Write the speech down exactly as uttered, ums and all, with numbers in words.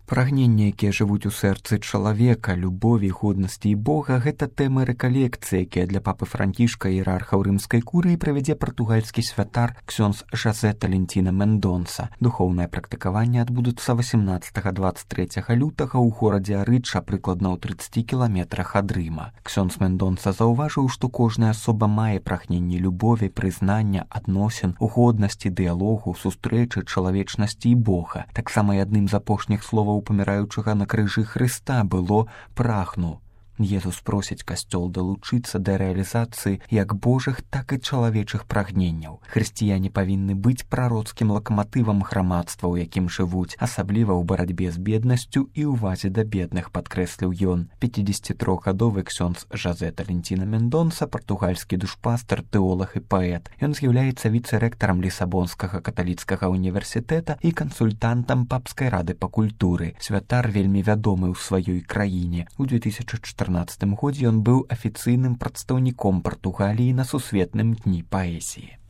Прагненні, якія жывуць у сэрцы чалавека, любові, годнасці і Бога, гэта тэмы рэкалекцыі, якія для папы Францішка, іерархаў рымскай курыі, правядзе партугальскі святар ксёндз Жазэ Талентіна Мендонса. Духоўнае практыкаванне адбудуцца васямнаццатага - дваццаць трэцяга лютага ў горадзе Арыча, прыкладна ў трыццаці кіламетрах ад Рыма. Ксёндз Мендонса заўважыў, што кожная асоба мае прагненні любові, прызнання, адносін, годнасці, дыялогу, сустрэчы, чалавечнасці і Бога. Таксама і адным з апошніх словаў паміраючага на крыжы Хрыста было «прагну». Езус просіць касцёл далучыцца да рэалізацыі як божых, так і чалавечых прагненняў. Хрысціяне павінны быць прароцкім лакаматывам грамадства, у якім жывуць, асабліва ў барацьбе з беднасцю і ўвазе да бедных, падкрэсліў ён. пяцідзесяцітрохгадовы ксёндз Жазэ Талентіна Мендонса, партугальскі душпастар, тэолаг і паэт. Ён з'яўляецца віцэрэктарам Лісабонскага каталіцкага універсітэта і кансультантам папскай рады па культуры. Святар вельмі вядомы ў сваёй краіне. У две тысячы чатырнаццатым годзе ён быў афіцыйным прадстаўніком Партугаліі на сусветным дні паэзіі.